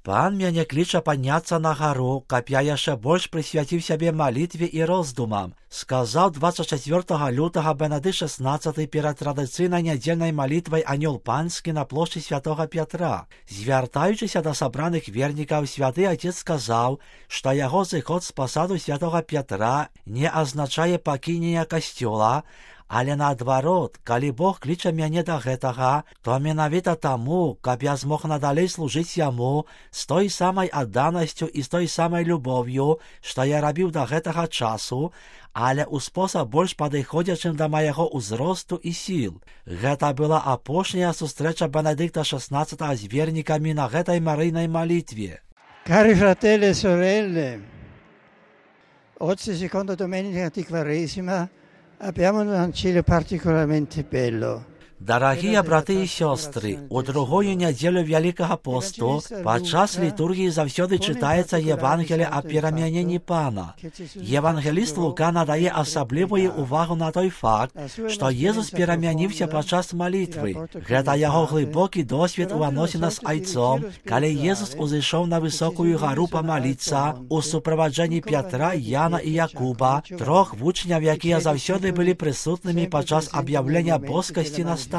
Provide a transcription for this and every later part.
Пан мяне кліча падняцца на гару, каб я яшчэ больш прысвяціў сябе малітве і роздумам, сказаў 24 лютага Бенедыкт XVI перад традыцыйнай нядзельнай малітвай анёл панскі на плошчы святога Пятра. Звяртаючыся да сабраных вернікаў, святы Отец сказаў, што яго зыход з пасаду святога Пятра не азначае пакінення касцёла, але наадварот, калі Бог кліча мяне да гэтага, то менавіта таму, каб я змог надалей служыць яму з той самай адданасцю і з той самай любоўю, што я рабіў да гэтага часу, але ў спосаб больш падыходзячым да майго ўзросту і сіл. Гэта была апошняя сустрэча Бенедыкта XVI з вернікамі на гэтай марыйнай малітве. Cari fratelli e sorelle, oggi seconda domenica di Quaresima abbiamo un Vangelo particolarmente bello. Дарагія браты і сёстры, у другую нядзелю Вялікага посту падчас літургіі заўсёды чытаецца Евангелие аб перамяненні Пана. Евангеліст Лука надае асаблівую увагу на той факт, што Езус перамяніўся падчас малітвы. Гэта яго глыбокі досвед у адносінах з Айцом, калі Езус узышоў на высокую гару памаліцца у суправаджэнні Пятра, Яна і Якуба, трох вучняў, якія заўсёды былі прысутнымі падчас аб'яўлення боскасці настаўніка.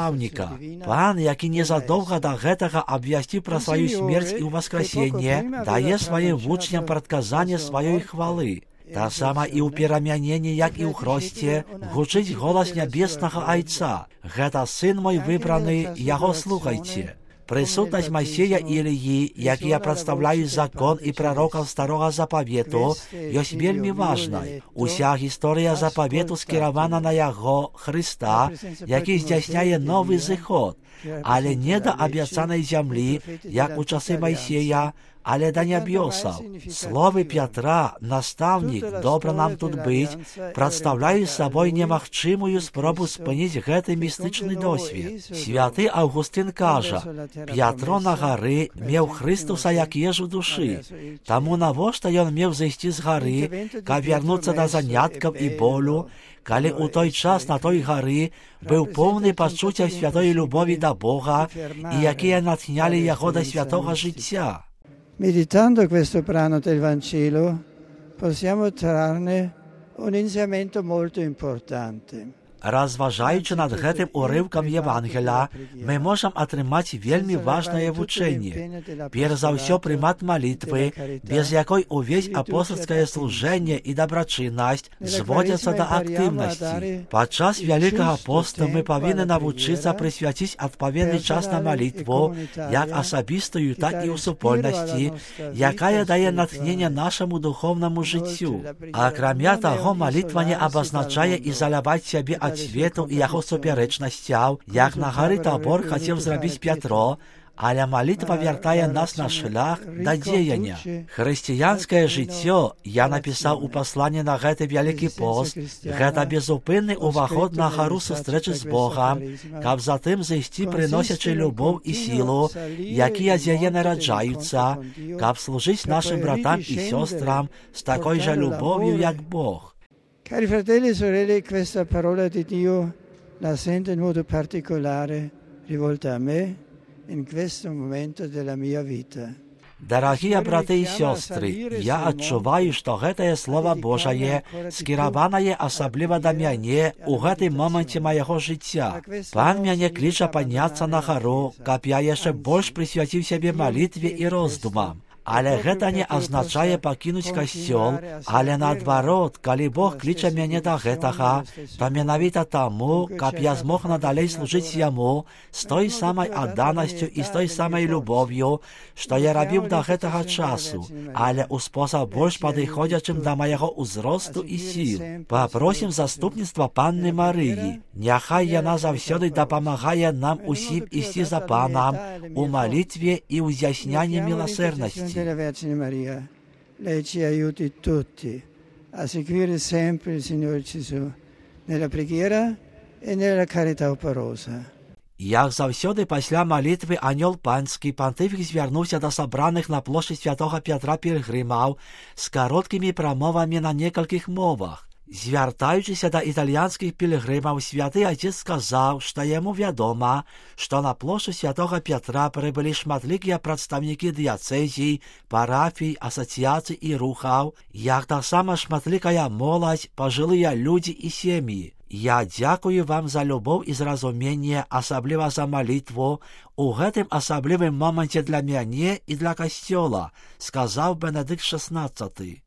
Пан, які незадоўга да гэтага абвясціў пра сваю смерць і ўваскрасенне, дае сваім вучням прадказанне сваёй хвалы. Таксама і ў перамяненні, як і ў хросце, гучыць голас нябеснага Айца. Гэта сын мой выбраны, яго слухайце. Прысутнасць Масея і Іліі, якія прадстаўляюць закон і прарокаў старога запавету, ёсць вельмі важнай. Уся гісторыя запавету скіравана на яго, Хрыста, які здзяйсняе новы зыход, але не да абяцанай зямлі, як у часы Майсея, але да нябёсаў. Словы Пятра, настаўнік, добра нам тут быць, прадстаўляюць сабой немагчымую спробу спыніць гэты містычны досвед. Святы Аўгустын кажа, Пятро на гары меў Хрыстуса як ежу душы, таму навошта ён меў зайсці з гары, каб вярнуцца да заняткаў і болю, калі ў той час на той гары быў поўны пачуццяў святой любові да Бога і якія натхнялі яго да святога жыцця. Meditando questo brano del Vangelo possiamo trarne un insegnamento molto importante. Разважаючы над гэтым урыўкам Евангеля, мы можам атрымаць вельмі важнае вучэнне. Перш за ўсё прымат малітвы, без якой увесь апостальскае служэнне і дабрачыннасць зводзяцца да актыўнасці. Падчас Вялікага посту мы павінны навучыцца прысвяціць адпаведны час на малітву, як асабістую, так і ў супольнасці, якая дае натхненне нашаму духоўнаму жыццю. Акрамя таго, малітва не абазначае ізаляваць сябе ад свету і яго супярэчнасцяў, як на гары Табор хацеў зрабіць Пятро, але малітва вяртае нас на шлях да дзеяння. Хрысціянскае жыццё, я напісаў у пасланні на гэты Вялікі пост, гэта безупынны ўваход на гару сустрэчы з Богам, каб затым зайсці прыносячы любоў і сілу, якія з яе нараджаюцца, каб служыць нашым братам і сёстрам з такой жа любов'ю, як Бог. Cari fratelli e sorelle, questa parola di Dio la sento in modo particolare rivolta a me in questo momento della mia vita. Дарагія браты і сёстры, я адчуваю, што гэтае Слова Божае скіраванае асабліва да мяне ў гэтым моманце майго жыцця. Пан мяне кліча падняцца на гару, каб я яшчэ больш прысвяціў сябе малітве і роздумам. Але гэта не азначае пакінуць касцёл, але наадварот, калі Бог кліча мяне да гэтага, то менавіта таму, каб я змог надалей служыць яму з той самай адданасцю і з той самай любоўю, што я рабіў да гэтага часу, але ў спосаб больш падыходзячым да майго ўзросту і сіл. Папросім заступніцтва Панны Марыі. Няхай яна заўсёды дапамагае нам усім ісці за Панам у малітве і ў з'яснянні міласэрнасці. Della Vergine Maria, lei ci aiuti tutti a seguire sempre il Signore Gesù nella preghiera e nella carità operosa. Як заўсёды пасля малітвы анёл панскі, пантыфік звярнуўся да сабраных на плошчы святога Пятра пілгрымаў з кароткімі прамовамі на некалькіх мовах. Звяртаючыся да італьянскіх пілігрымаў, святы отец сказаў, што яму вядома, што на плошчу святога Пятра прыбылі шматлікія прадстаўнікі дыяцэзій, парафій, асацыяцый і рухаў, як таксама шматлікая моладзь, пажылыя людзі і сем'і. Я дзякую вам за любоў і зразуменне, асабліва за малітву, у гэтым асаблівым моманце для мяне і для касцёла, сказаў Бенедыкт XVI.